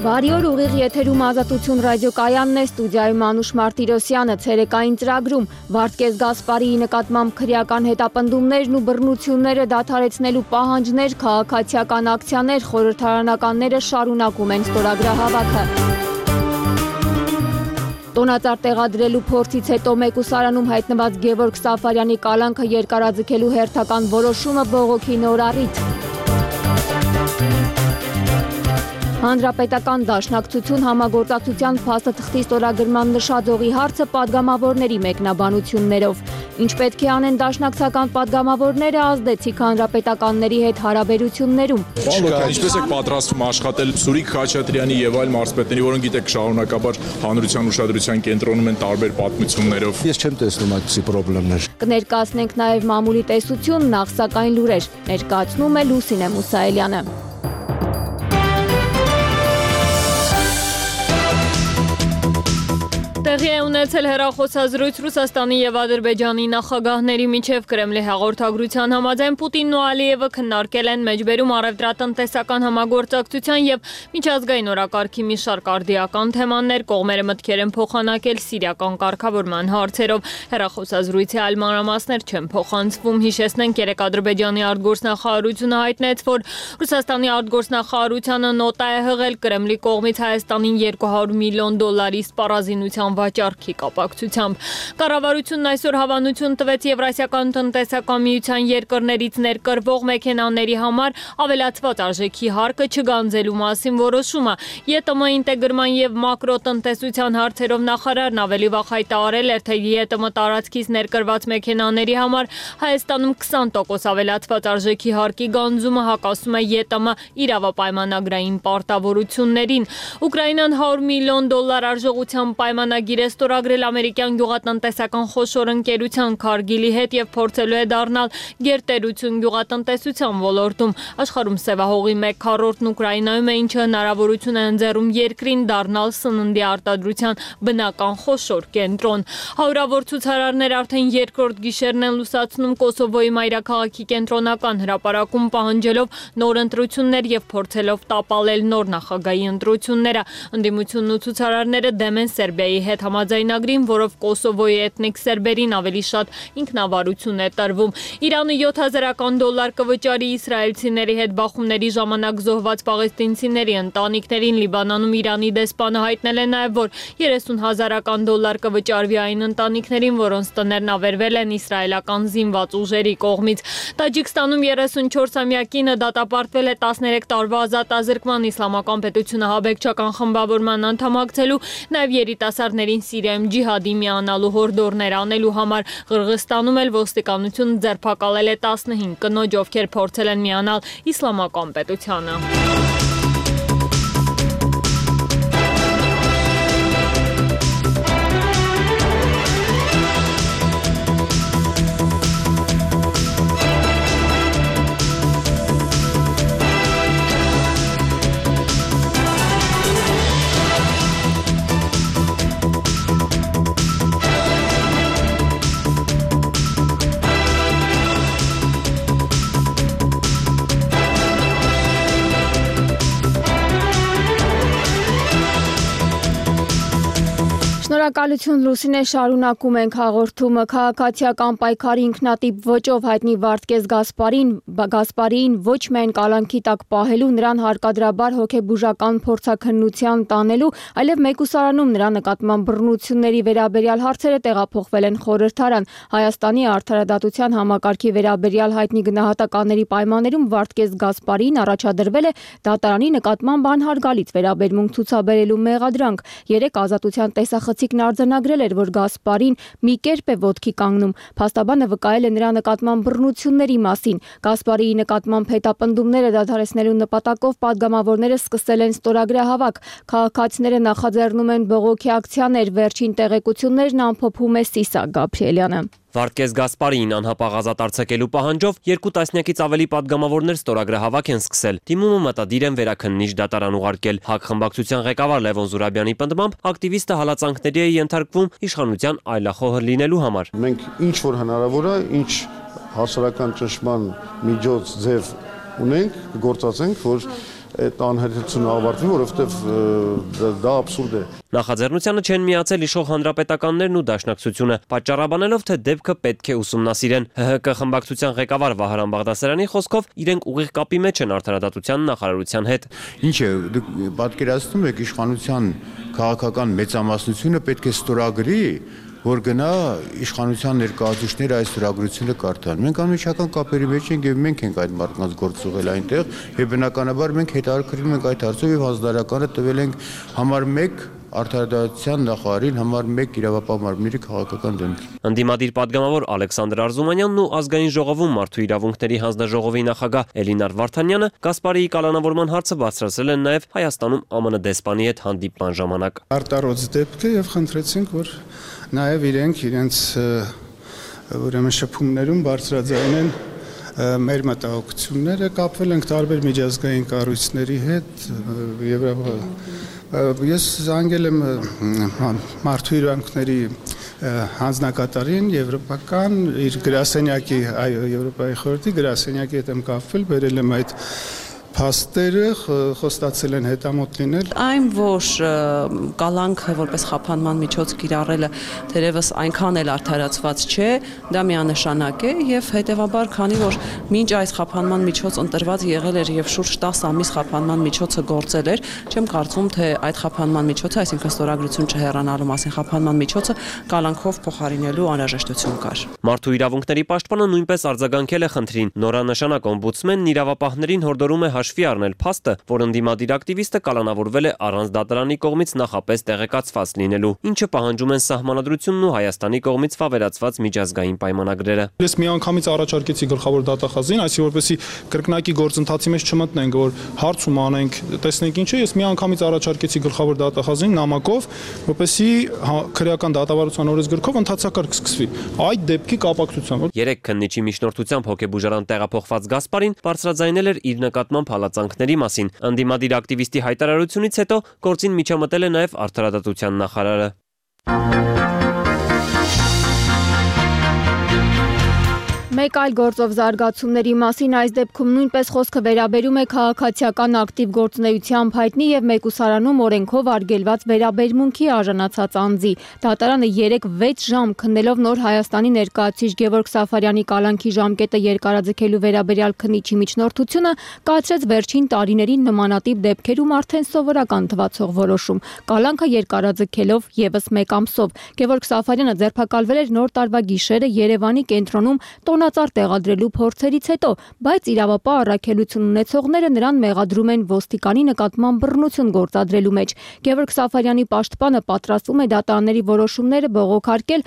Բարի օր, ուղիղ եթերում Ազատություն ռադիոկայանն է, ստուդիայում Անուշ Մարտիրոսյանը, ցերեկային ծրագրում Վարդգես Գասպարիի նկատմամբ քրեական հետապնդումներն ու բռնությունները դադարեցնելու պահանջներ, քաղաքացիական ակցիաներ, խորհրդարանականները շարունակում են ստորագրահավաքը։ Տոնածառ տեղադրելու փորձից հետո մեկուսարանում հայտնված Գևորգ Սաֆարյանի կալանքը երկարաձգելու հերթական որոշումը բողոքի նոր առիթ։ Հանրապետական դաշնակցություն համագործակցության փաստաթղթի ստորագրման նշաձողի հարցը պատգամավորների մեկնաբանություններով։ Ինչ պետք է անեն դաշնակցական պատգամավորները, ազդեցիկ հանրապետականների հետ հարաբերություններում։ Ինչպես եք պատրաստվում աշխատել Սուրիկ Խաչատրյանի եւ այլ մարզպետների, որոնք գիտեք շարունակաբար հանրության ուշադրության կենտրոնում են տարբեր պատմություններով։ Ես չեմ տեսնում այդպիսի խնդիրներ։ Կներկայացնենք նաեւ մամուլի տեսություն, նախ սակայն լուրեր։ Ներկայացնում է Լուսինե Մուսայելյանը։ Տեղի է ունեցել հեռախոսազրույց Ռուսաստանի եւ Ադրբեջանի նախագահների միջև Կրեմլի հաղորդագրության համաձայն Պուտինն ու Ալիևը քննարկել են մեջբերում առևտրատնտեսական համագործակցության եւ միջազգային օրակարգի մի շարք արդիական թեմաներ, կողմերը մտքեր են փոխանակել սիրիական կարգավորման հարցերով։ Հեռախոսազրույցի այլ մանրամասներ չեն փոխանցվում։ Հիշեցնենք, երեկ Ադրբեջանի արտգործնախարարությունը հայտնեց, որ Ռուսաստանի արտգործնախարարությունը նոտա է հղել Կրեմլի կողմից Հայաստանին $200 միլիոն սպառազինության վաճառքի կապակցությամբ։ Կառավարությունն այսօր հավանություն տվեց Եվրասիական տնտեսական միության երկրներից ներկրվող մեքենաների համար ավելացված արժեքի հարկը չգանձելու մասին որոշումը։ ԵՏՄ ինտեգրման եւ մակրոտնտեսության հարցերով նախարարն ավելի վաղ հայտարարել էր, թե ԵՏՄ տարածքից ներկրված մեքենաների համար Հայաստանում 20% ավելացված արժեքի հարկի գանձումը հակասում է ԵՏՄ իրավապայմանագրային պարտավորություններին։ Ուկրաինան $100 միլիոն արժողությամբ պայմանագիր է ստորագրել ամերիկյան գյուղատնտեսական խոշոր ընկերության Քարգիլի հետ եւ փորձելու է դառնալ գերտերություն գյուղատնտեսության ոլորտում։ Աշխարհում սևահողի 1/4-ն Ուկրաինայում է, ինչը հնարավորություն է ընձեռում երկրին դառնալ սննդի արտադրության բնական խոշոր կենտրոն։ Հարյուրավոր ցուցարարներ արդեն երկրորդ գիշերն են լուսացնում Կոսովոյի մայրաքաղաքի կենտրոնական հրապարակում, պահանջելով նոր ընտրություններ եւ փորձելով տապալել նոր նախագահի ընտրությունները։ Ընդդիմությունն ու ցուցարարները դեմ են Սերբիայի հետ համաձայնագրին, որով Կոսովոյի էթնիկ սերբերին ավելի շատ ինքնավարություն է տրվում։ Իրանը $7,000 կվճարի իսրայելցիների հետ բախումների ժամանակ զոհված պաղեստինցիների ընտանիքներին։ Լիբանանում Իրանի դեսպանը հայտնել է նաև, որ $30,000 կվճարվի այն ընտանիքներին, որոնց տներն ավերվել են իսրայելական զինված ուժերի կողմից։ Տաջիկստանում 34-ամյակինը դատապարտվել է 13 տարվա ազատազրկման, Իսլամական պետությունը հաբեկչական խմբավորման անդամակցելու, նաև երիտասարդներին Սիրիայում ջիհադի միանալու հորդորներ անելու համար։ Ղրղստանում էլ ոստիկանությունը ձերբակալել է 15 կնոջ, ովքեր փորձել են միանալ Իսլամական պետությանը։ Շնորհակալություն Լուսինե, շարունակում ենք հաղորդումը։ Քաղաքացիական պայքարի ինքնատիպ ոճով հայտնի Վարդգես Գասպարիին ոչ միայն կալանքի տակ պահելու, նրան հարկադրաբար հոգեբուժական փորձաքննության տանելու, այլև մեկուսարանում նրա նկատմամբ բռնությունների վերաբերյալ հարցերը տեղափոխվել են խորհրդարան։ Հայաստանի արդարադատության համակարգի վերաբերյալ հայտնի գնահատականների պայմաններում Վարդգես Գասպարիին առաջադրվել է դատարանի նկատմամբ անհարգալից վերաբերմունք ցուցաբերելու մեղադրանք։ Երեկ Ազատության տեսախցիկն արձանագրել էր, որ Գասպարին մի կերպ է ոտքի կանգնում։ Փաստաբանը վկայել է նրա նկատմամբ բռնությունների մասին։ Գասպարիի նկատմամբ հետապնդումները դադարեցնելու նպատակով պատգամավորները սկսել են ստորագրահավաք։ Քաղաքացիները նախաձեռնում են բողոքի ակցիաներ։ Վերջին տեղեկություններն ամփոփում է Սիսակ Գաբրիելյանը։ Վարդգես Գասպարիին անհապաղ ազատ արձակելու պահանջով 2 տասնյակից ավելի պատգամավորներ ստորագրահավաք են սկսել։ Դիմումը մտադիր են վերաքննիչ դատարան ուղարկել։ ՀԱԿ խմբակցության ղեկավար Լևոն Զուրաբյանի պնդմամբ ակտիվիստը հալածանքների է ենթարկվում իշխանության այլախոհ լինելու համար։ Մենք ինչ որ հնարավոր է, ինչ հասարակական ճնշման միջոց ձև ունենք, գործածենք, որ այդ անհերթությունը ավարտվի, որովհետև դա աբսուրդ է։ Նախաձեռնությանը չեն միացել իշխող հանրապետականներն ու դաշնակցությունը, պատճառաբանելով, թե դեպքը պետք է ուսումնասիրեն։ ՀՀԿ խմբակցության ղեկավար Վահրամ Բաղդասարյանի խոսքով իրենք ուղիղ կապի մեջ են արդարադատության նախարարության հետ։ Ինչ է, դուք պատկերացնում եք իշխանության քաղաքական մեծամասնությունը պետք է ստորագրի, որ գնա իշխանության ներկայացուցիչները այս ստորագրությունը կարդան։ Մենք անմիջական կապերի մեջ ենք եւ մենք ենք այդ մարդկանց գործուղել այնտեղ եւ բնականաբար մենք հետաքրքրվում ենք այդ հարցով եւ հանձնարարականը տվել ենք համար 1 արդարադատության նախարարին, համար 1 իրավապահ մարմինների քաղաքական դեմքի։ Ընդդիմադիր падգամավոր Ալեքսանդր Արզումանյանն ու ազգային ժողովում մարդու իրավունքների հանձնաժողովի նախագահ Էլինար Վարդանյանը Կասպարիի կալանավորման հարցը բարձրացրել են նաև Հայաստանում ԱՄՆ դեսպանի հետ հանդիպման ժամանակ։ Արտարոց դեպքը եւ խնդրեցինք, որ նաև իրենց ուրեմն շփումներում բարձրաձայնեն մեր մտահոգությունները, կապվել ենք տարբեր միջազգային կառույցների հետ ես զանգել եմ մարդու իրավունքների հանձնակատարին եվրոպական իր գրասենյակի Եվրոպայի խորհրդի գրասենյակի հետ եմ կապվել, բերել եմ այդ փաստերը, խոստացել են հետամոտ լինել։ Այն, որ կալանքը որպես խափանման միջոց կիրառելը թերևս այնքան էլ արդարացված չէ, դա միանշանակ է եւ հետեւաբար, քանի որ մինչ այս խափանման միջոց ընտրված եղել էր եւ շուրջ 10 ամիս խափանման միջոցը գործել էր, չեմ կարծում, թե այդ խափանման միջոցը, այսինքն ստորագրություն չհեռանալու մասին խափանման միջոցը կալանքով փոխարինելու անհրաժեշտություն կար։ Մարդու իրավունքների պաշտպանը նույնպես արձագանքել է խնդրին։ Նորանշանակ օմբուդսմենն իրավապահներին հորդորում է հաշվի առնել փաստը, որ ընդդիմադիր ակտիվիստը կալանավորվել է առանց դատարանի կողմից նախապես տեղեկացված լինելու, ինչը պահանջում են Սահմանադրությունն ու Հայաստանի կողմից վավերացված միջազգային պայմանագրերը։ Ես միանգամից առաջարկեցի գլխավոր դատախազին, այսինքն որպեսզի կրկնակի գործընթացի մեջ չմտնենք, որ հարցում անենք, տեսնենք ինչ է, ես միանգամից առաջարկեցի գլխավոր դատախազին նամակով, որպեսզի քրեական դատավարության օրենսգրքով ընդհանրակարգ սկսվի այդ դեպքի կապակցությամբ։ Երեք քննիչի միջնորդությամբ հոգեբուժարան տեղափոխված Գասպարին բարձրաձայնել էր իր նկատմամբ հալածանքների մասին։ Ընդդիմադիր ակտիվիստի հայտարարությունից հետո գործին միջամտել է նաև արդարադատության նախարարը։ Մեկ այլ գործով զարգացումների մասին այս դեպքում նույնպես խոսքը վերաբերում է քաղաքացիական ակտիվ գործունեությամբ հայտնի եւ մեկուսարանում օրենքով արգելված վերաբերմունքի արժանացած անձի։ Դատարանը 3-6 ժամ քննելով Նոր Հայաստանի ներկայացուցիչ Գևորգ Սաֆարյանի կալանքի ժամկետը երկարաձգելու վերաբերյալ քննիչի միջնորդությունը կայացրեց վերջին տարիներին նմանատիպ դեպքերում արդեն սովորական թվացող որոշում։ Կալանքը երկարաձգելով եւս 1 ամսով Գևորգ Սաֆարյանը ձերբակալվել էր Նոր տարվա գիշերը Երևանի կենտրոնում տոնածառ տեղադրելու փորձերից հետո, բայց իրավապահ առաքելություն ունեցողները նրան մեղադրում են ոստիկանի նկատմամբ բռնություն գործադրելու մեջ։ Գևորգ Սաֆարյանի պաշտպանը պատրաստվում է դատարանների որոշումները բողոքարկել,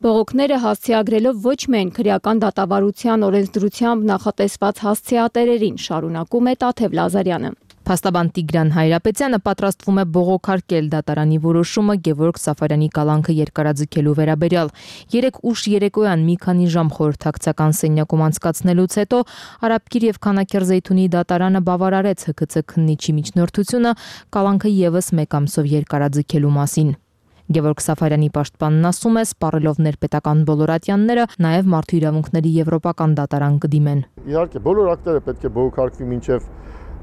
բողոքները հասցեագրելով ոչ միայն քրեական դատավարության օրենսդրությամբ նախատեսված հասցեատերերին, շարունակում է Տաթև Լազարյանը։ Փաստաբան Տիգրան Հայրապետյանը պատրաստվում է բողոքարկել դատարանի որոշումը Գևորգ Սաֆարյանի կալանքը երկարաձգելու վերաբերյալ։ 3 ուշ երեկոյան մի քանի ժամ խորհրդակցական սենյակում անցկացնելուց հետո Արաբկիր եւ Քանաքերզեյթունի դատարանը բավարարեց ՀԿՑ քննիչի միջնորդությունը կալանքը եւս 1 ամսով երկարաձգելու մասին։ Գևորգ Սաֆարյանի պաշտպանն ասում է, սպառելով ներպետական բոլոր ատյանները, նաև մարդու իրավունքների եվրոպական դատարան կդիմեն։ Իհարկե, բոլոր ակտերը պետք է բողոքարկվի մինչև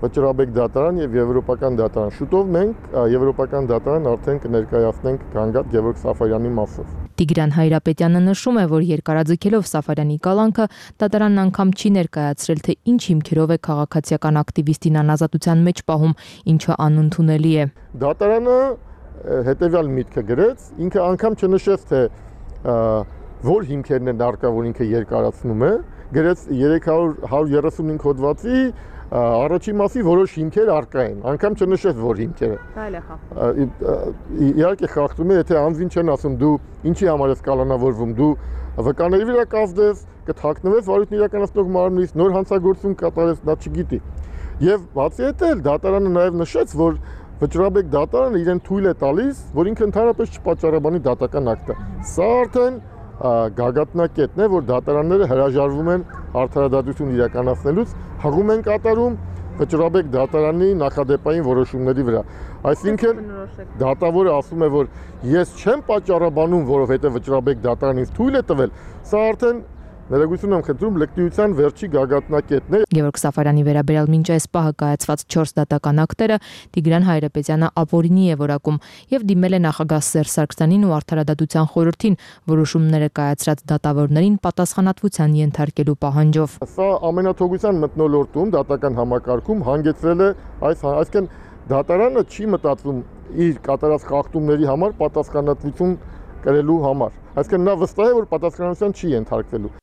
վճռաբեկ դատարան եւ եվրոպական դատարան։ Շուտով մենք եվրոպական դատարան արդեն կներկայացնենք Գանգատ Գևորգ Սաֆարյանի մասով։ Տիգրան Հայրապետյանը նշում է, որ երկարաձգելով Սաֆարյանի կալանքը դատարանն անգամ չի ներկայացրել, թե ինչ հիմքերով է քաղաքացիական ակտիվիստին անազատության մեջ պահում, ինչը անընդունելի է։ Դատարանը հետևյալ միտքը գրեց, ինքը անգամ չնշեց, թե որ հիմքերն են արկա, որ ինքը երկարացնում է, գրեց 335 հոդվածի առաջի մասի որոշ հիմքեր արկա են, անգամ չնշեց, որ հիմքերը։ Իհարկե խախտում է, եթե անձին չեն ասում դու ինչի համար ես կալանավորվում, դու վկաների վրա կազդես, կթաքնվես վարույթն իրականացնող մարմնից, նոր հանցագործություն կատարես, նա չգիտի։ Եվ բացի այդ էլ դատարանը նաև նշեց, որ վճռաբեկ դատարանը իրեն թույլ է տալիս, որ ինքը ընդհանրապես չպատճառաբանի դատական ակտը։ Սա արդեն գագաթնակետն է, որ դատարանները հրաժարվում են արդարադատություն իրականացնելուց, հղում են կատարում վճռաբեկ դատարանի նախադեպային որոշումների վրա։ Այսինքն դատավորը ասում է, որ ես չեմ պատճառաբանում, որովհետև վճռաբեկ դատարանին թույլ է տվել, սա արդեն ներեգություն եմ խնդրում լկտիության վերջի գագաթնակետն է։ Գևորգ Սաֆարյանի վերաբերյալ մինչ այս պահը կայացված 4 դատական ակտերը Տիգրան Հայրապետյանը ապօրինի է որակում եւ դիմել է նախագահ Սերժ Սարգսյանին ու Արդարադատության խորհրդին որոշումները կայացրած դատավորներին պատասխանատվության ենթարկելու պահանջով։ Սա ամենաթողության մթնոլորտում դատական համակարգում հանգեցրել է այսինքն դատարանը չի մտածում իր կատարած խախտումների համար պատասխանատվություն կրելու համար։ Այսինքն նա վստահ է, որ պատասխանատվության չի ենթարկվելու։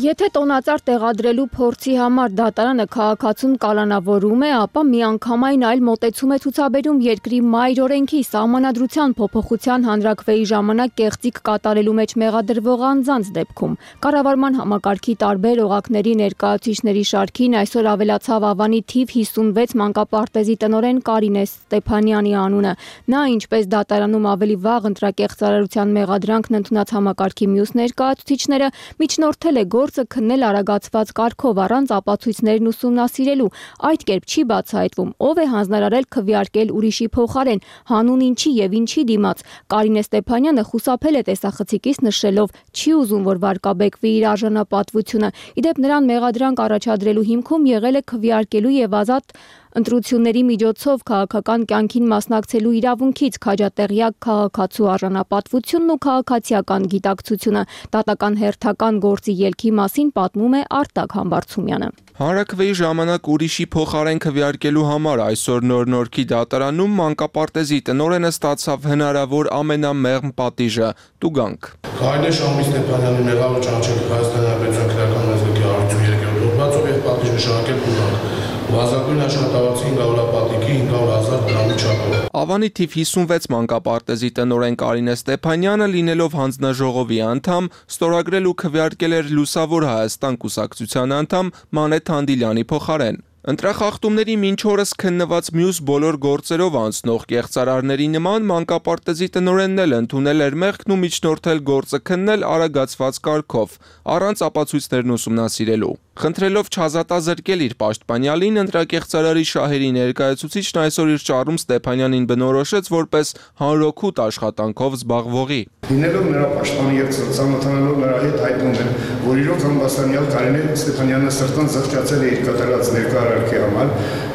Եթե տոնածառ տեղադրելու փորձի համար դատարանը քաղաքացուն կալանավորում է, ապա միանգամայն այլ մոտեցում է ցուցաբերում երկրի մայր օրենքի սահմանադրության փոփոխության հանրակրվեի ժամանակ կեղծիք կատարելու մեջ մեղադրվող անձանց դեպքում։ Կառավարման համակարգի տարբեր օղակների ներկայացուցիչների շարքին այսօր ավելացավ Ավանի թիվ 56 մանկապարտեզի տնօրեն Կարինե Ստեփանյանի անունը։ Նա, ինչպես դատարանում ավելի վաղ ընտրակեղծարարության մեղադրանքն ընդունած համակարգի մյուս ներկայացուցիչները, միջնորդել է գործը քննել արագացված կարգով առանց ապացույցներն ուսումնասիրելու։ Այդ կերպ չի բացահայտվում, ով է հանձնարարել քվեարկել ուրիշի փոխարեն, հանուն ինչի եւ ինչի դիմաց։ Կարինե Ստեփանյանը խուսափել է տեսախցիկից նշելով չի ուզում, որ վարկաբեկվի իր արժանապատվությունը։ Իդեպ նրան մեղադրանք առաջադրելու հիմքում եղել է քվեարկելու եւ ազատ ընտրությունների միջոցով քաղաքական կյանքին մասնակցելու իրավունքից քաջատեղյակ քաղաքացու արժանապատվությունն ու քաղաքացիական գիտակցությունը։ Դատական հերթական գործի ելքի մասին պատմում է Արտակ Համբարձումյանը։ Հանրակրվեի ժամանակ ուրիշի փոխարեն քվեարկելու համար այսօր Նոր-Նորքի դատարանում մանկապարտեզի տնօրենը ստացավ հնարավոր ամենամեղմ պատիժը՝ տուգանք։ Կարինե Ստեփանյանի մեղավոր ճանաչել Հայաստանի Հանրապետության քրեական մարզիկի 103-րդ հոդվածով եւ պատիժ նշանակել տուգանք։ Վազագույն աշխատավարձի 500 500,000 դրամի չափով։ Ավանի թիվ 56 մանկապարտեզի տնօրեն Կարինե Ստեփանյանը լինելով հանձնաժողովի անդամ, ստորագրել ու քվեարկել էր Լուսավոր Հայաստան կուսակցության անդամ Մանեթ Հանդիլյանի փոխարեն։ Ընտրախախտումների մինչ օրս քննված մյուս բոլոր գործերով անցնող կեղծարարների նման մանկապարտեզի տնօրենն էլ ընդունել էր մեղքն ու միջնորդել գործը քննել արագացված կարգով, առանց ապացույցներն ուսումնասիրելու։ Խնդրելով չազատազրկել իր պաշտպանյալին, ընտրակեղծարարի շահերի ներկայացուցիչն այսօր իր ճառում Ստեփանյանին բնորոշեց որպես հանրօգուտ աշխատանքով զբաղվողի։ Լինելով նրա պաշտպանի եւ ծանոթանալով նրա հետ հայտնում եմ, որ իրոք ամբաստանյալ Կարինե Ստեփանյանը սրտան զղջացել է իր կատարած ներկայարարքի համար,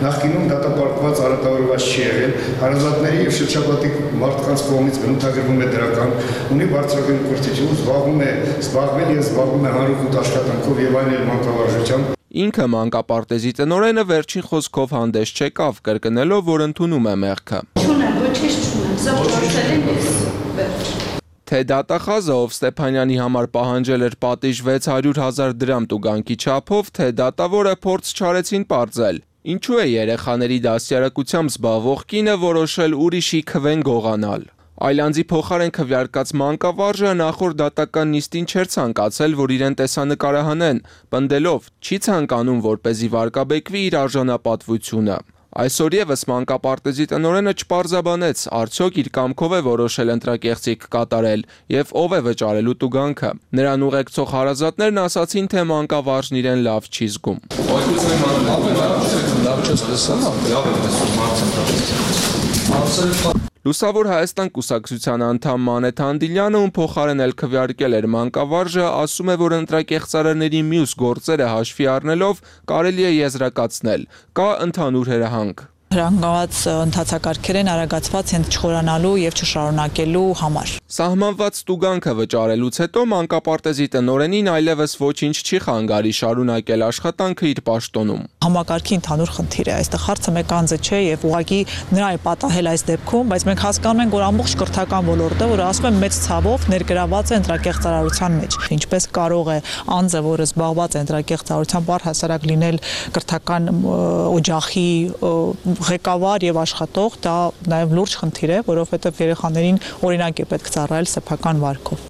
նախկինում դատապարտված արատավորված չի եղել, հարազատների եւ շրջապատի մարդկանց կողմից բնութագրվում է դրական, ունի բարձրագույն կրթություն, զբաղվում է հանրօգուտ աշխատանքով եւ այլ մանկավարժությամբ։ Ինքը մանկապարտեզի տնօրենը վերջին խոսքով հանդես չեկավ, կրկնելով, որ ընդունում է մեղքը։ Չունեմ, ոչինչ չունեմ, զղջացել եմ ես վերջ։ Թե դատախազը, ով Ստեփանյանի համար պահանջել էր պատիժ 600,000 դրամ տուգանքի չափով, թե դատավորը փորձ չարեցին պարզել։ Ինչու է երեխաների դաստիարակությամբ զբաղվող կինը որոշել ուրիշի քվեն գողանալ։ Այլանձի փոխարեն քվեարկած մանկավարժը նախորդ դատական նիստին չէր ցանկացել, որ իրեն տեսանկարահանեն, պնդելով չի ցանկանում, որպեսզի վարկաբեկվի իր արժանապատվությունը։ Այսօր եւս մանկապարտեզի տնօրենը չպարզաբանեց, արդյոք իր կամքով է որոշել ընտրակեղծիք կատարել եւ ով է վճարելու տուգանքը։ Նրան ուղեկցող հարազատներն ասացին, թե մանկավարժն իրեն լավ չի զգում։ Լուսավոր Հայաստան կուսակցության անդամ Մանեթ Հանդիլյանը, ում փոխարեն էլ քվեարկել էր մանկավարժը, ասում է, որ ընտրակեղծարարների մյուս գործերը հաշվի առնելով կարելի է եզրակացնել, կա ընդհանուր հրահանգ։ Հրանգված ընթացակարգեր են արագացված հենց չխորանալու եւ չշարունակելու համար։ Սահմանված տուգանքը վճարելուց հետո մանկապարտեզի տնօրենին այլևս ոչինչ չի խանգարի շարունակել աշխատանքը իր պաշտոնում։ Համակարգի ընդհանուր խնդիր է, այստեղ հարցը մեկ անձը չէ եւ ուղղակի նրա է պատահել այս դեպքում, բայց մենք հասկանում ենք, որ ամբողջ կրթական ոլորտը, որ ասում եմ մեծ ցավով ներգրաված է ընտրակեղծարարության մեջ։ Ինչպես կարող է անձը, որը զբաղված է ընտրակեղծարարությամբ, առհասարակ լինել կրթական օջախի ղեկավար եւ աշխատող, դա նաեւ լուրջ խնդիր է, որովհետեւ երեխաներին օրինակ է պետք ծառայել սեփական վարքով։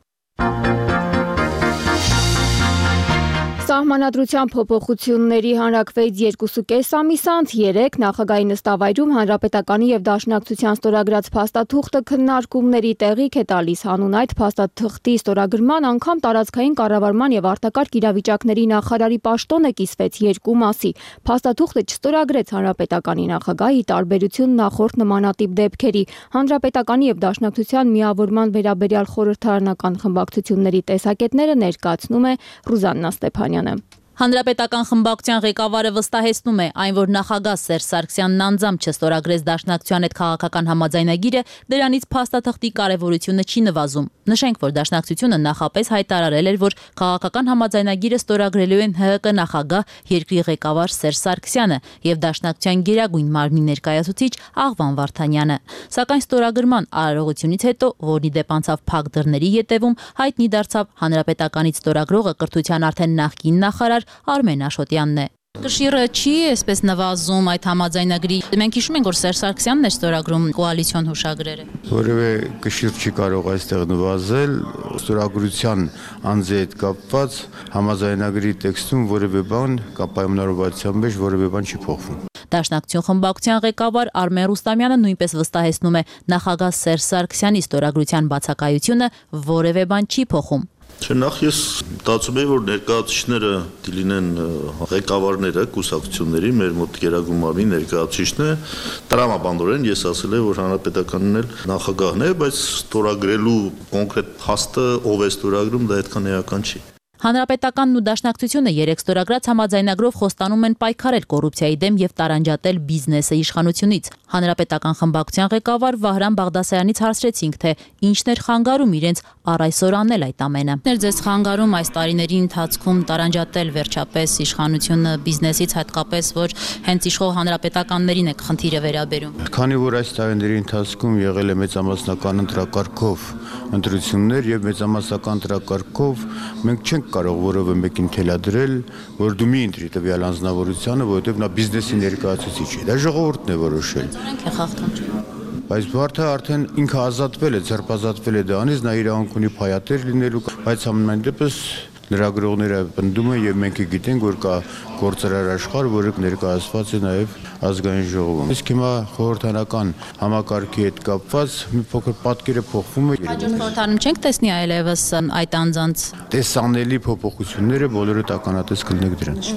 Սահմանադրության փոփոխությունների հանրակրվեից 2.5 ամիս անց 3 նախագահի նստավայրում Հանրապետականի եւ Դաշնակցության ստորագրած փաստաթուղթը քննարկումների տեղիք է տալիս հանուն այդ փաստաթղթի ստորագրման անգամ տարածքային կառավարման եւ արտակարգ իրավիճակների նախարարի պաշտոնը կիսվեց երկու մասի։ Փաստաթուղթը չստորագրեց Հանրապետականի նախագահի տարբերություն նախորդ նմանատիպ դեպքերի։ Հանրապետականի եւ Դաշնակցության միավորման վերաբերյալ խորհրդարանական խմբակցությունների տեսակետները ներկայացնում է Ռուզաննա Ստեփանյանը։ Հանրապետական խմբակցության ղեկավարը վստահեցնում է, այն որ նախագահ Սերժ Սարգսյանն անձամբ չստորագրեց Դաշնակցության հետ քաղաքական համաձայնագիրը, դրանից փաստաթղթի կարևորությունը չի նվազում։ Նշենք, որ Դաշնակցությունը նախապես հայտարարել էր, որ քաղաքական համաձայնագիրը ստորագրելու են ՀՀԿ նախագահ, երկրի ղեկավար Սերժ Սարգսյանը եւ Դաշնակցության գերագույն մարմնի ներկայացուցիչ Աղվան Վարդանյանը։ Սակայն ստորագրման արարողությունից հետո, որն ի դեպ անցավ փակ դռների ետևում, հայտնի դարձավ Հանրապետականից ստորագրողը կրթության արդեն նախկին նախարար Արմեն Աշոտյանն է։ Կշիռը չի այսպես նվազում այդ համաձայնագրի։ Մենք հիշում ենք, որ Սերժ Սարգսյանն է ստորագրում կոալիցիոն հուշագրերը։ Որևէ կշիռ չի կարող այստեղ նվազել, ստորագրության անձի հետ կապված համաձայնագրի տեքստում որևէ բան կամ պայմանավորվածության մեջ որևէ բան չի փոխվում։ Դաշնակցություն խմբակցության ղեկավար Արմեն Ռուստամյանը նույնպես վստահեցնում է, նախագահ Սերժ Սարգսյանի ստորագրության բացակայությունը որևէ բան չի փոխում։ Նախ ես մտածում եմ, որ ներկայացուցիչները դիլինեն ղեկավարները կուսակցությունների, մեր մոտ գերագույն մարմնի ներկայացուցիչն է, տրամաբանորեն ես ասել եմ, որ Հանրապետականն էլ նախագահն է, բայց ստորագրելու կոնկրետ փաստը ով է ստորագրում, դա այդքան էական չի։ Հանրապետականն ու Դաշնակցությունը երեք ստորագրած համաձայնագրով խոստանում են պայքարել կոռուպցիայի դեմ եւ տարանջատել բիզնեսը իշխանությունից։ Հանրապետական խմբակցության ղեկավար Վահրամ Բաղդասարյանից հարցրեցինք, թե ինչն էր խանգարում իրենց առ այսօր անել այդ ամենը։ Ձեզ խանգարում այս տարիների ընթացքում տարանջատել վերջապես իշխանությունը բիզնեսից, հատկապես որ հենց իշխող հանրապետականներին է խնդիրը վերաբերում։ Քանի որ այս տարիների ընթացքում եղել է մեծամասնական ընտրակարգով ընտրություններ եւ մեծամասնական ընտրակարգով մենք չենք կարող որևէ մեկին թելադրել, որ դու մի ընտրի տվյալ անձնավորությանը, որովհետև նա բիզնեսի ներկայացուցիչ է։ Դա ժողովուրդն է որոշել։ Բայց մարդը արդեն ինքը ազատվել է, ձերբազատվել է դրանից, նա իրավունք ունի փայատեր լինելու, բայց ամեն դեպս լրագրողները պնդում են եւ մենք գիտենք, որ կա գործարար աշխարհ, որը ներկայացված է նաեւ ազգային ժողովում։ Իսկ հիմա խորհրդարանական համակարգի հետ կապված մի փոքր պատկերը փոխվում է։ Հաջորդ խորհրդարանում չենք տեսնի այլևս այդ անձանց տեսանելի փոփոխությունները, բոլորը տականատես կլինեք դրանց։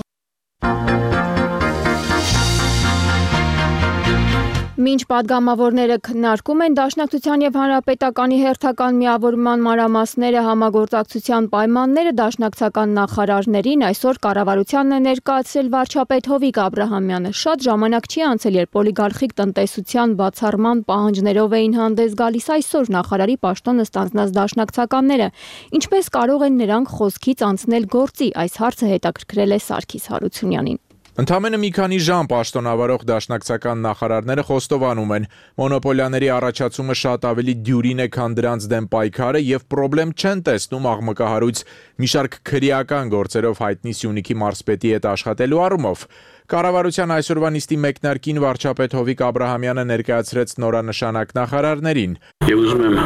Մինչ падգամավորները քննարկում են Դաշնակցության եւ Հանրապետականի հերթական միավորման մանրամասները, համագործակցության պայմանները, դաշնակցական նախարարներին այսօր կառավարությանն է ներկայացրել վարչապետ Հովիկ Աբրահամյանը։ Շատ ժամանակ չի անցել, երբ օլիգարխիկ տնտեսության բացառման պահանջներով էին հանդես գալիս այսօր նախարարի պաշտոնը ստանձնած դաշնակցականները։ Ինչպես կարող են նրանք խոսքից անցնել գործի, այս հարցը հետաքրքրել է Սարգիս Հարությունյանին։ Ընդամենը մի քանի ժամ պաշտոնավարող դաշնակցական նախարարները խոստովանում են, մոնոպոլիաների առաջացումը շատ ավելի դյուրին է, քան դրանց դեմ պայքարը եւ պրոբլեմ չեն տեսնում աղմկահարույց մի շարք քրեական գործերով հայտնի Սյունիքի մարզպետի հետ աշխատելու առումով։ Կառավարության այսօրվա նիստի մեկնարկին վարչապետ Հովիկ Աբրահամյանը ներկայացրեց նորանշանակ նախարարներին։ Եվ ուզում եմ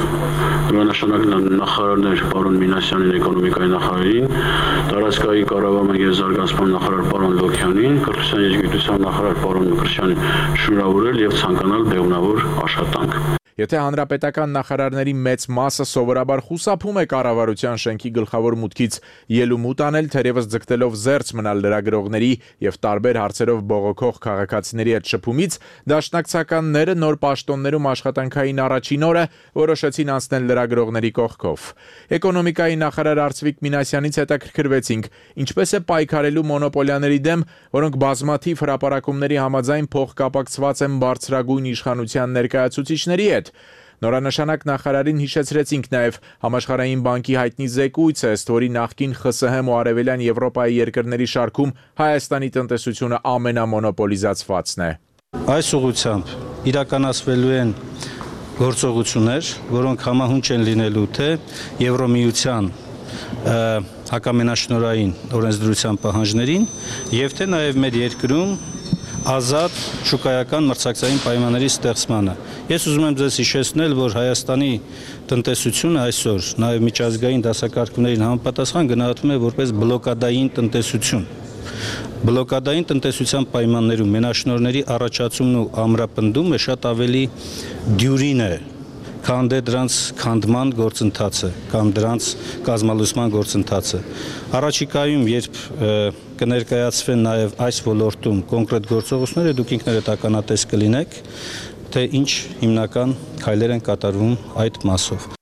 նորանշանակ նախարարներ պարոն Մինասյանին, էկոնոմիկայի նախարարին, տարածքային կառավարման եւ զարգացման նախարար պարոն Լոքյանին, կրթության եւ գիտության նախարար պարոն Մկրտչյանին շնորհավորել եւ ցանկանալ բեղմնավոր աշխատանք։ Եթե հանրապետական նախարարների մեծ մասը սովորաբար խուսափում է կառավարության շենքի գլխավոր մուտքից ելումուտ անել, թերևս ձգտելով զերծ մնալ լրագրողների եւ տարբեր հարցերով բողոքող քաղաքացիների հետ շփումից, դաշնակցականները նոր պաշտոններում աշխատանքային առաջին օրը որոշեցին անցնել լրագրողների կողքով։ Էկոնոմիկայի նախարար Արծվիկ Մինասյանից հետաքրքրվեցինք, ինչպես է պայքարելու մոնոպոլիաների դեմ, որոնք բազմաթիվ հրապարակումների համաձայն փոխկապակցված են բարձրագույն իշխանության ներկայացուցիչների հետ։ Նորանշանակ նախարարին հիշեցրեցինք նաև Համաշխարհային բանկի հայտնի զեկույցը, ըստ որի նախկին ԽՍՀՄ ու Արևելյան Եվրոպայի երկրների շարքում Հայաստանի տնտեսությունը ամենամոնոպոլիզացվածն է։ Այս ուղղությամբ իրականացվելու են գործողություններ, որոնք համահունչ են լինելու թե Եվրոմիության հակամենաշնորհային օրենսդրության պահանջներին եւ թե նաև մեր երկրում ազատ շուկայական մրցակցային պայմանների ստեղծմանը։ Ես ուզում եմ ձեզ հիշեցնել, որ Հայաստանի տնտեսությունը այսօր նաև միջազգային դասակարգումներին համապատասխան գնահատվում է որպես բլոկադային տնտեսություն։ Բլոկադային տնտեսության պայմաններում մենաշնորհների առաջացումն ու ամրապնդումը շատ ավելի դյուրին է, քան դրանց քանդման գործընթացը կամ դրանց կազմալուսման գործընթացը։ Առաջիկայում, երբ կներկայացվեն նաև այս ոլորտում կոնկրետ գործողությունները, դուք ինքներդ ականատես կլինեք, թե ինչ հիմնական քայլեր են կատարվում այդ մասով։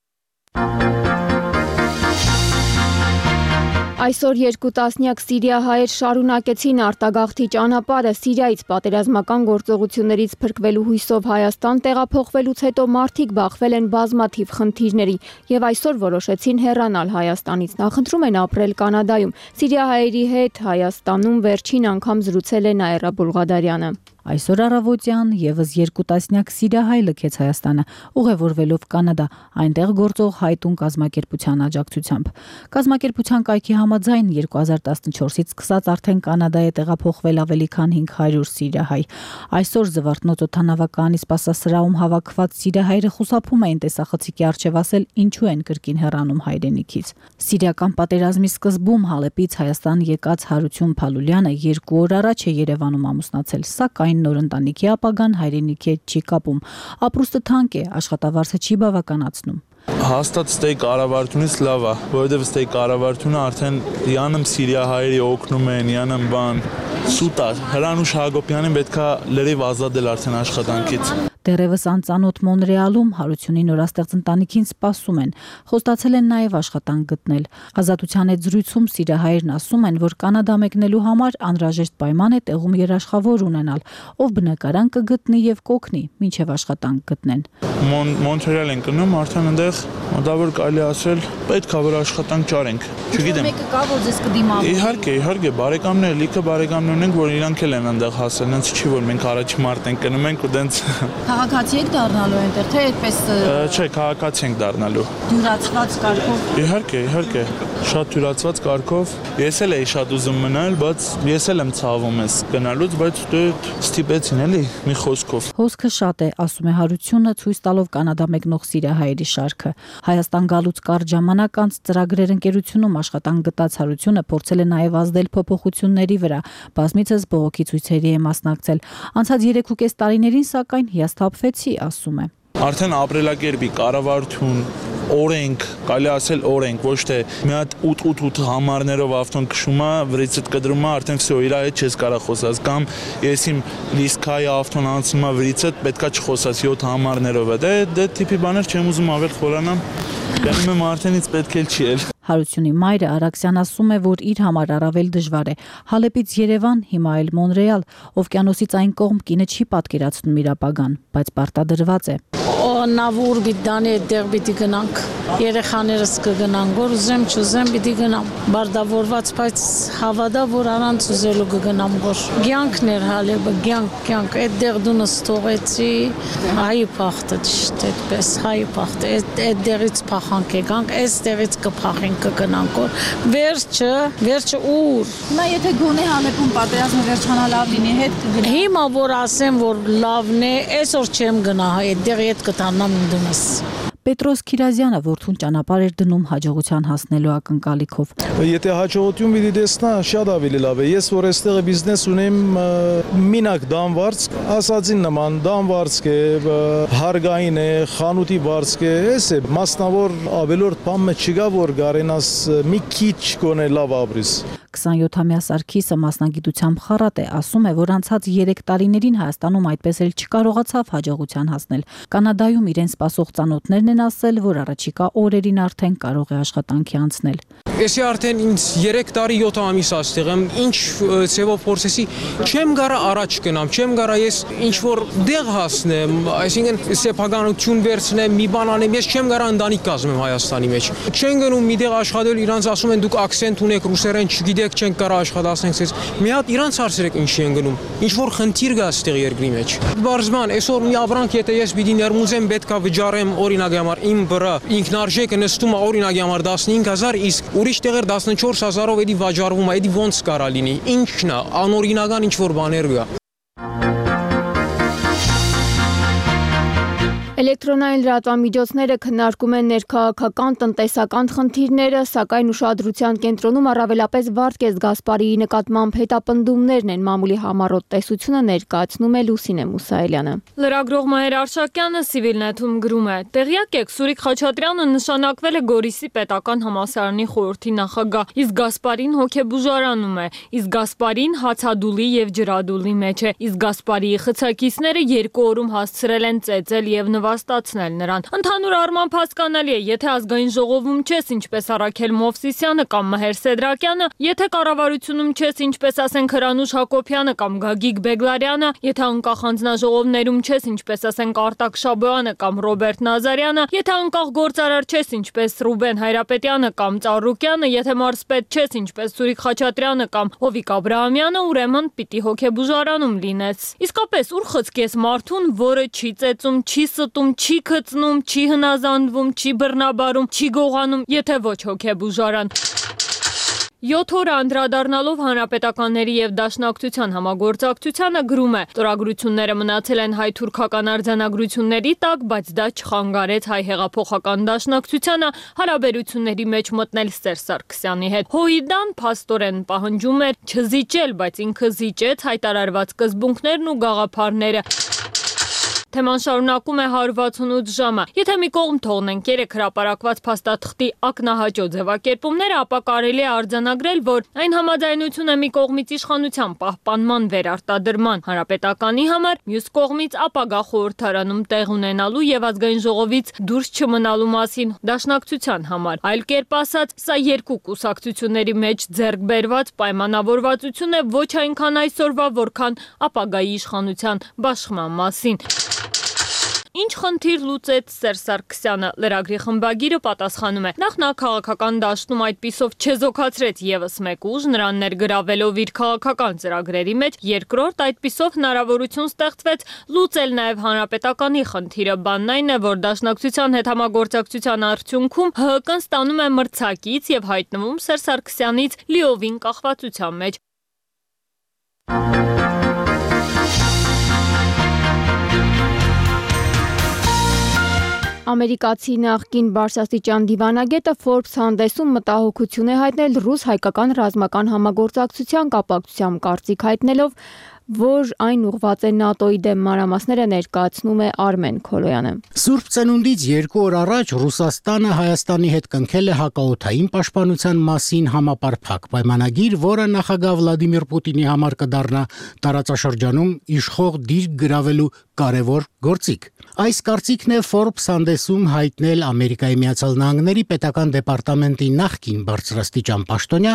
Այսօր 2 տասնյակ սիրիահայեր շարունակեցին արտագաղթի ճանապարհը Սիրիայից պատերազմական գործողություններից փրկվելու հույսով Հայաստան տեղափոխվելուց հետո մարդիկ բախվել են բազմաթիվ խնդիրների եւ այսօր որոշեցին հեռանալ Հայաստանից։ Նախընտրում են ապրել Կանադայում։ Սիրիահայերի հետ Հայաստանում վերջին անգամ զրուցել է Նաիրա Բուլղադարյանը։ Այսօր առավոտյան եւս 2 տասնյակ սիրիահայ լքեց Հայաստանը, ուղևորվելով Կանադա, այնտեղ գործող Հայտուն կազմակերպության աջակցությամբ։ Կազմակերպության կայքի համաձայն 2014-ից սկսած արդեն Կանադա է տեղափոխվել ավելի քան 500 սիրիահայ։ Այսօր Զվարթնոց օդանավակայանի սպասասրահում հավաքված սիրիահայերը խուսափում էին տեսախցիկի առջև ասել ինչու են կրկին հեռանում հայրենիքից։ Սիրիական պատերազմի սկզբում Հալեպից Հայաստան եկած Հարություն Փալուլյանը 2 օր առաջ է Երևանում ամուսնացել, սակայն նոր ընտանիքի ապագան հայրենիքի հետ չի կապում։ Ապրուստը թանկ է, աշխատավարձը չի բավականացնում։ Հաստատ ստեյ կառավարությունից լավ է, որովհետև ստեյ կառավարությունը արդեն յանում սիրիահայերի օգնում են, յանում բան սուտ է։ Հրանուշ Հակոբյանին պետքա լրիվ ազատել արդեն աշխատանքից։ Դեռևս անծանոթ Մոնրեալում Հարությունի նորաստեղծ ընտանիքին սպասում են։ Խոստացել են նաև աշխատանք գտնել։ Ազատության հետ զրույցում սիրիահայերն ասում են, որ Կանադա մեկնելու համար անհրաժեշտ պայման է տեղում երաշխավոր ունենալ, ով բնակարան կգտնի եւ կօգնի, մինչեւ աշխատանք գտնեն։ Մոնտրեալ են գնում, արդեն այնտեղ մոտավոր կարելի ասել պետք է որ աշխատանք ճարենք։ Չգիտեմ։ Մեկը կա, որ ձեզ կդիմավորի։ Իհարկե, բարեկամներ, լիքը բարեկամներ ունենք, որ իրանք էլ են այնտեղ հասել, հենց չի որ մենք առաջի մարտ ենք գնում ենք ու դենց Քաղաքացի եք դառնալու այնտեղ, թե այդպես Չէ, քաղաքացի ենք դառնալու։ Դյուրացված կարգով։ Իհարկե, շատ դյուրացված կարգով։ Ես էլ էի շատ ուզում մնալ, բայց ես էլ եմ ցավում ես գնալուց, բայց դե ստիպեցին էլի մի խոսքով։ Հոսքը շատ է, ասում է Հարությունը, ցույց տալով Կանադա մեկնող սիրիահայերի շարքը։ Հայաստան գալուց կարճ ժամանակ անց ծրագրեր ընկերությունում աշխատանք գտած Հարությունը փորձել է նաև ազդել փոփոխությունների վրա, բազմիցս բողոքի ցույցերի է մասնակցել։ Անցած 3.5 տարիներին սակայն հիասթափվեցի, ասում է։ Արդեն ապրելակերպի կառավարություն օրենք, կարելի ասել օրենք, ոչ թե մի հատ 8 համարներով ավտոն քշում է, վրիցդ կդրում է, արդեն վсё իր հետ չես կարող խոսած, կամ ես իմ լիսկայի ավտոն անցնում է վրիցդ, պետքա չխոսած 7 համարներով է։ Դե տիպի բաներ չեմ ուզում ավել խորանամ։ Գնում եմ արդենից պետք էլ չի էլ։ Հարությունի մայրը Արաքսյան ասում է, որ իր համար առավել դժվար է։ Հալեպից Երևան, հիմա էլ Մոնրեալ, օվկիանոսից այն կողմ կինը չի պատկերացնում իր ապագան, բայց պարտադրված է։ Նավուր բիդանի այդտեղ պիտի գնանք, երեխաներս կգնան, որ ուզեմ չուզեմ պիտի գնամ, բարդավորված, բայց հավատա, որ առանց ուզելու կգնամ, որ կյանքն էր Հալեպը, կյանք, այդտեղ դու նստողեցի, հայի փախտը ճիշտ այդպես, հայի փախտը, այդտեղից փախանք եկանք, այստեղից կփախենք, կգնանք, որ վերջը ուր։ Հիմա եթե գոնե Հալեպում պատերազմը վերջանա լավ լինի, հետ կգնա։ Հիմա որ ասեմ, որ լավն է, այսօր չեմ գնա, այդտեղ հետ կտանամ դնես։ Պետրոս Քիրազյանը որդուն ճանապարհ էր դնում հաջողության հասնելու ակնկալիքով։ Եթե հաջողություն պիտի տեսնա, շատ ավելի լավ է։ Ես որ այստեղ բիզնես ունեմ, մինակ դամվարձ, ասածին նման դամվարձ է, հարգային է, խանութի վարձ է, էս է, մասնավոր ավելորդ բան չկա, որ գարենաս մի քիչ գոնե լավ ապրիս։ 27-ամյա Սարգիսը մասնագիտությամբ խառատ է, ասում է, որ անցած 3 տարիներին Հայաստանում այդպես էլ չկարողացավ հաջողության հասնել։ Կանադայում իրեն սպասող ծանոթներն են ասել, որ առաջիկա օրերին արդեն կարող է աշխատանքի անցնել։ Էսի արդեն ինձ 3 տարի 7 ամիս այստեղ եմ, ինչ ծևով փորձեցի, չեմ գարա առաջ գնամ, չեմ գարա ես ինչ որ դեղ հասնեմ, այսինքն սեփականություն վերցնեմ, մի բան անեմ, ես չեմ գարա ընտանիք կազմեմ Հայաստանի մեջ։ Չեն գնում մի տեղ աշխատել, իրանց ասում են դուք ակսենտ ունեք, ռուսերեն չգիտեք, չենք կարա աշխատացնենք ցես։ Մի հատ իրանց հարցրեք ինչի են գնում։ Ինչ որ խնդիր կա այստեղ երկրի մեջ։ Բարձման, այսօր մի ապրանք եթե ես պիտի ներմուծեմ, պետքա վճարեմ օրինակի համար իմ վրա ինքնարժեքը նստում է օրինակի համար 15000, իսկ ուրիշ տեղեր 14000-ով էդի վաճառվում է, էդի ոնց կարա լինի։ Ինչն է, անօրինական ինչ որ բաներ կա։ Էլեկտրոնային լրատվամիջոցները քննարկում են ներքաղաքական տնտեսական խնդիրները, սակայն ուշադրության կենտրոնում առավելապես Վարդգես Գասպարիի նկատմամբ հետապնդումներն են, մամուլի համառոտ տեսությունը ներկայացնում է Լուսինե Մուսայելյանը։ Լրագրող Մահեր Արշակյանը Civilnet-ում գրում է. «Տեղյակ եք, Սուրիկ Խաչատրյանը նշանակվել է Գորիսի պետական համալսարանի խորհրդի նախագահ, իսկ Գասպարին հոգեբուժարանում է, իսկ Գասպարին հացադուլի եւ ջրադուլի մեջ է, իսկ Գասպարիի խցակիցները 2 օրում հասցրել են ծեծել եւ նվաստացնել նրան։ Ընդհանուր առմամբ հասկանալի է, եթե ազգային ժողովում չես, ինչպես Արաքել Մովսիսյանը կամ Մհեր Սեդրակյանը, եթե կառավարությունում չես, ինչպես ասենք Հրանուշ Հակոբյանը կամ Գագիկ Բեգլարյանը, եթե անկախ անձնաժողովներում չես, ինչպես ասենք Արտակ Շաբոյանը կամ Ռոբերտ Նազարյանը, եթե անկախ գործարար չես, ինչպես Ռուբեն Հայրապետյանը կամ Ծառուկյանը, եթե մարզպետ չես, ինչպես Սուրիկ Խաչատրյանը կամ Հովիկ Աբրահամյանը, ուրեմն պիտի հոգեբուժարանում լինես։ Իսկապես ուր խցկես մարդուն, որը չի ծեծում, չի ստում, չի քծնում, չի հնազանդվում, չի բռնաբարում, չի գողանում, եթե ոչ հոգեբուժարան։ 7 օր անդրադառնալով հանրապետականների եւ Դաշնակցության համագործակցությանը գրում է. Ստորագրությունները մնացել են հայ-թուրքական արձանագրությունների տակ, բայց դա չխանգարեց հայ հեղափոխական Դաշնակցությանը հարաբերությունների մեջ մտնել Սերժ Սարգսյանի հետ։ Հոիդան փաստորեն պահանջում էր չզիջել, բայց ինքը զիջեց հայտարարված սկզբունքներն ու գաղափարները։ Թեման շարունակում է 168 ժամը։ Եթե մի կողմ թողնենք 3 հրապարակված փաստաթղթի ակնահաճո ձևակերպումները, ապա կարելի է արձանագրել, որ այն համաձայնությունը մի կողմից իշխանության պահպանման վերարտադրման հանրապետականի համար, մյուս կողմից ապագա խորհրդարանում տեղ ունենալու եւ ազգային ժողովից դուրս չմնալու մասին Դաշնակցության համար։ Այլ կերպ ասած, սա երկու կուսակցությունների մեջ ձեռք բերված պայմանավորվածություն է ոչ այնքան այսօրվա, որքան ապագայի իշխանության բաշխման մասին։ Ինչ խնդիր լուծեց Սերժ Սարգսյանը, լրագրի խմբագիրը պատասխանում է. նախ նա քաղաքական դաշտում այդպիսով չեզոքացրեց եւս մեկ ուժ, նրան ներգրավելով իր քաղաքական ծրագրերի մեջ, երկրորդ այդպիսով հնարավորություն ստեղծվեց լուծել նաեւ հանրապետականի խնդիրը, բանն այն է, որ Դաշնակցության հետ համագործակցության արդյունքում ՀՀԿ-ն ստանում է մրցակից եւ հայտնվում Սերժ Սարգսյանից լիովին կախվածության մեջ։ Ամերիկացի նախկին բարձրաստիճան դիվանագետը Forbes հանդեսում մտահոգություն է հայտնել ռուս-հայկական ռազմական համագործակցության կապակցությամբ, կարծիք հայտնելով, որ այն ուղղված է ՆԱՏՕ-ի դեմ, մանրամասները ներկայացնում է Արմեն Քոլոյանը։ Սուրբ Ծնունդից 2 օր առաջ Ռուսաստանը Հայաստանի հետ կնքել է հակաօդային պաշտպանության մասին համապարփակ պայմանագիր, որը նախագահ Վլադիմիր Պուտինի համար կդառնա տարածաշրջանում իշխող դիրք գրավելու կարևոր գործիք։ Այս կարծիքն է Forbes հանդեսում հայտնել Ամերիկայի Միացյալ Նահանգների պետական դեպարտամենտի նախկին բարձրաստիճան պաշտոնյա,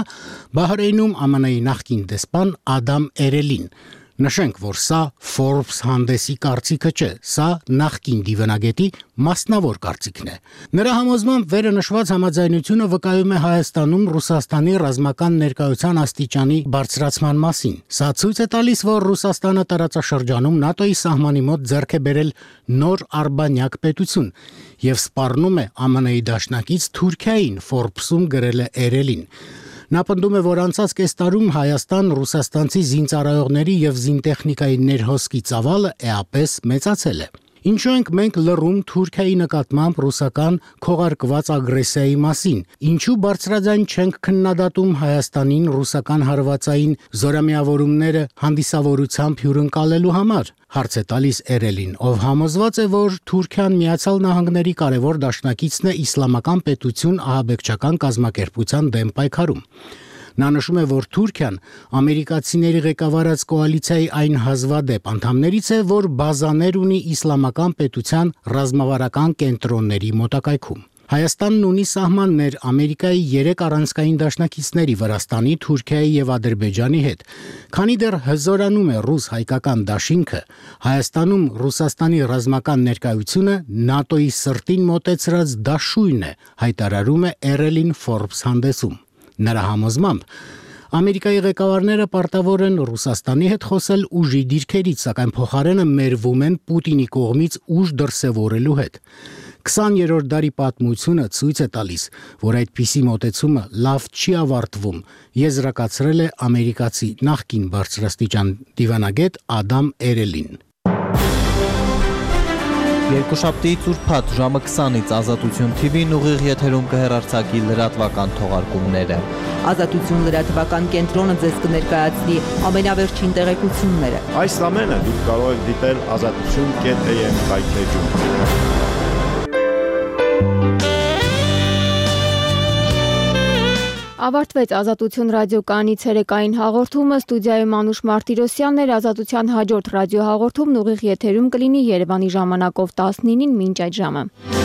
Բահրեյնում ԱՄՆ-ի նախկին դեսպան Ադամ Էրելին։ Նշենք, որ սա Forbes հանդեսի կարծիքը չէ, սա նախկին դիվանագետի մասնավոր կարծիքն է։ Նրա համոզմամբ վերը նշված համաձայնությունը վկայում է Հայաստանում Ռուսաստանի ռազմական ներկայության աստիճանի բարձրացման մասին։ Սա ցույց է տալիս, որ Ռուսաստանը տարածաշրջանում ՆԱՏՕ-ի սահմանի մոտ ձեռք է բերել նոր արբանյակ պետություն եւ սպառնում է ԱՄՆ-ի դաշնակից Թուրքիային, Forbes-ում գրել է Էրելին։ Նա պնդում է, որ անցած կես տարում Հայաստան ռուսաստանցի զինծառայողների եւ զինտեխնիկայի ներհոսքի ծավալը էապես մեծացել է։ Ինչու ենք մենք լռում Թուրքիայի նկատմամբ ռուսական քողարկված ագրեսիայի մասին։ Ինչու բարձրաձայն չենք քննադատում Հայաստանին ռուսական հարվածային զորամիավորումները հանդիսավորությամբ հյուրընկալելու համար։ Հարց է տալիս Էրելին, ով համոզված է, որ Թուրքիան Միացյալ Նահանգների կարևոր դաշնակիցն է իսլամական պետություն ահաբեկչական կազմակերպության դեմ պայքարում։ Նա նշում է, որ Թուրքիան ամերիկացիների ղեկավարած կոալիցիայի այն հազվադեպ անդամներից է, որ բազաներ ունի իսլամական պետության ռազմավարական կենտրոնների մոտակայքում։ Հայաստանն ունի սահմաններ Ամերիկայի 3 առանցքային դաշնակիցների՝ Վրաստանի, Թուրքիայի եւ Ադրբեջանի հետ։ Քանի դեռ հզորանում է ռուս-հայկական դաշինքը, Հայաստանում Ռուսաստանի ռազմական ներկայությունը ՆԱՏՕ-ի սրտին մոտեցրած դաշույն է, հայտարարում է Էրելին Forbes հանդեսում։ Նրա համոզմամբ Ամերիկայի ղեկավարները պարտավոր են Ռուսաստանի հետ խոսել ուժի դիրքերից, սակայն փոխարենը մերվում են Պուտինի կողմից ուժ դրսևորելու հետ։ 20-րդ դարի պատմությունը ցույց է տալիս, որ այդպիսի մոտեցումը լավ չի ավարտվում, եզրակացրել է ամերիկացի նախկին բարձրաստիճան դիվանագետ Ադամ Էրելին։ Երկուշաբթի ծուրփաթ ժամը 20-ից Ազատություն TV-ն ուղիղ եթերում կհեռարձակի լրատվական թողարկումները։ Ազատություն լրատվական կենտրոնը ձեզ կներկայացնի ամենավերջին տեղեկությունները։ Այս ամենը դուք կարող եք դիտել azatutun.am վայթեջում։ Ավարտվեց Ազատություն ռադիոկայանի ցերեկային հաղորդումը, ստուդիայում Անուշ Մարտիրոսյանն էր, Ազատության հաջորդ ռադիոհաղորդումն ուղիղ եթերում կլինի Երևանի ժամանակով 19-ին մինչ այդ ժամը։